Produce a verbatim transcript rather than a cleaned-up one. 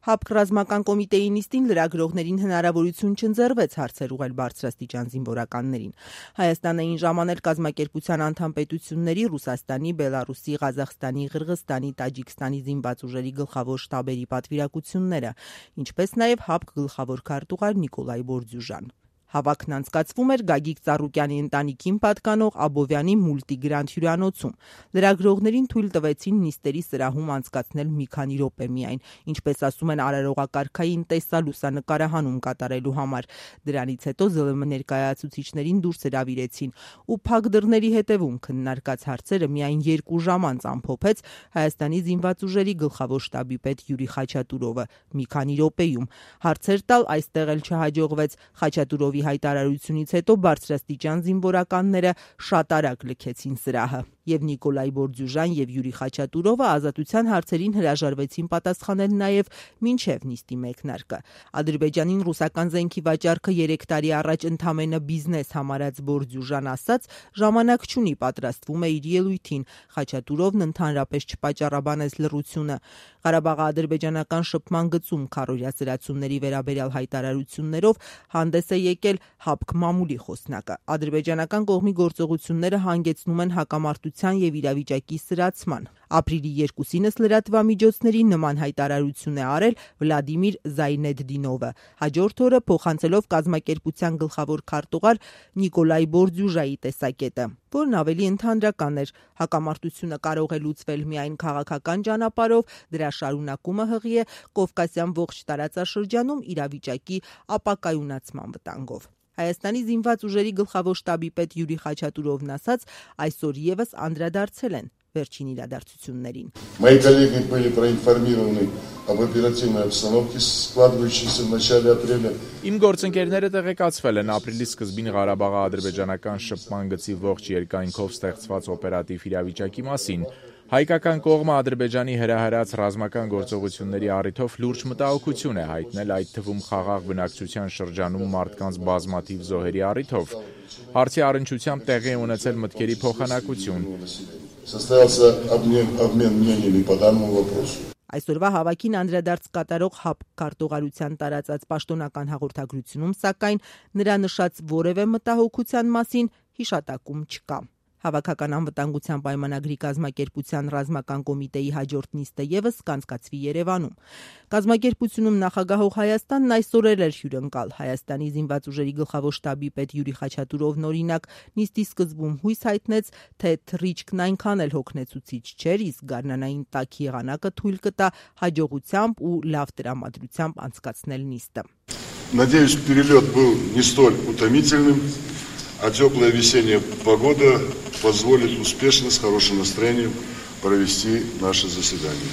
ՀԱՊԿ ռազմական կոմիտեի նիստին լրագրողներին հնարավորություն չընձեռվեց հարցեր ուղղել բարձրաստիճան զինվորականներին։ Հայաստանը այն ժամանել կազմակերպության անդամ պետությունների Ռուսաստանի, Բելարուսի, Ղազախստանի, Ղրղստանի, Տաջիկստանի զինված ուժերի գլխավոր շտաբերի պատվիրակությունները, ինչպես նաև ՀԱՊԿ գլխավոր քարտուղար Նիկոլայ Բորդյուժան։ Հավաքն անցկացվում էր Գագիկ Ծառուկյանի ընտանիքին պատկանող Աբովյանի մուլտիգրանդ հյուրանոցում։ Լրագրողներին թույլ տվեցին նիստերի սրահում անցկացնել մի քանի րոպե միայն, ինչպես ասում են արարողակարգային տեսալուսանկարահանում կատարելու համար։ Դրանից հետո ԶԼՄ ներկայացուցիչներին դուրս հրավիրեցին, ու փակ դռների հետևում քննարկած հարցերը միայն երկու ժամ անց ամփոփեց Հայաստանի զինված ուժերի գլխավոր շտաբի պետ Յուրի Խաչատուրովը մի քանի րոպեում։ Հարցեր տալ այստեղ էլ չհաջողվեց։ Խաչատուրովի հայտարարությունից հետո բարձրաստիճան զինվորականները շատ արագ լքեցին սրահը, եւ Նիկոլայ Բորդյուժան եւ Յուրի Խաչատուրովը ազատության հարցերին հրաժարվեցին պատասխանել նաեւ մինչեւ նիստի մեկնարկը։ Ադրբեջանին ռուսական զենքի վաճառքը երեք տարի առաջ ընդամենը բիզնես համարած Բորդյուժան ասաց, ժամանակ չունի, պատրաստվում է իր ելույթին։ Խաչատուրովն ընդհանրապես չպատճառաբանեց լռությունը։ Ղարաբաղի ադրբեջանական շփման գծում քառօրյա սրացումների վերաբերյալ հայտարարություններով հանդես է եկել ՀԱՊԿ մամուլի խոսնակը։ Ադրբեջանական կողմի գործողությունները հանգեցնում են հակամարտության եւ իրավիճակի սրացման։ Ապրիլի երկուսինս լրատվամիջոցների նման հայտարարություն է արել Վլադիմիր Զայնեդդինովը, հաջորդ օրը փոխանցելով կազմակերպության գլխավոր քարտուղար Նիկոլայ Բորդյուժայի տեսակետը, որն ավելի ընդհանրական էր։ Հակամարտությունը կարող է լուծվել միայն քաղաքական ճանապարհով, դրա շարունակումը հղի է Կովկասյան ողջ տարածաշրջանում իրավիճակի ապակայունացման վտանգով։ Հայաստանի զինված ուժերի գլխավոր շտաբի պետ Յուրի Խաչատուրովն ասաց, այսօր եւս անդրադարձել են վերջին իրադարձություններին։ Мои коллеги были проинформированы об оперативной обстановке, складывающейся в начале апреля. Իմ գործընկերները տեղեկացվել են ապրիլի սկզբին Ղարաբաղի ադրբեջանական շփման գծի ողջ երկայնքով ստեղծված օպերատիվ իրավիճակի մասին։ Հայկական կողմը Ադրբեջանի հրահրած ռազմական գործողությունների առիթով լուրջ մտահոգություն է հայտնել, այդ թվում խաղաղ բնակչության շրջանում մարդկանց բազմաթիվ զոհերի առիթով։ Հարցի առնչությամբ տեղի է ունեցել մտքերի փոխանակություն։ Состоялся обмен, обмен мнениями по данному вопросу. Այսօրվա հավաքին անդրադարձ կատարող ՀԱՊԿ քարտուղարության տարածած պաշտոնական հաղորդագրությունում, սակայն նրա նշած որևէ մտահոգության մասին հիշատակում չկա։ Հավաքական անվտանգության պայմանագրի կազմակերպության ռազմական կոմիտեի հաջորդ նիստը եւս կանցկացվի Երևանում։ Կազմակերպությունում նախագահող Հայաստանն այսօր էր հյուրընկալ։ Հայաստանի զինված ուժերի գլխավոր շտաբի պետ Յուրի Խաչատուրովն օրինակ նիստի սկզբում հույս հայտնեց, թե թռիչքն այնքան էլ հոգնեցուցիչ չէր, իսկ գարնանային տաք եղանակը թույլ կտա հաջողությամբ ու լավ տրամադրությամբ անցկացնել նիստը։ Надеюсь, перелет был не столь утомительным, а теплая весенняя погода позволит успешно, с хорошим настроением провести наше заседание.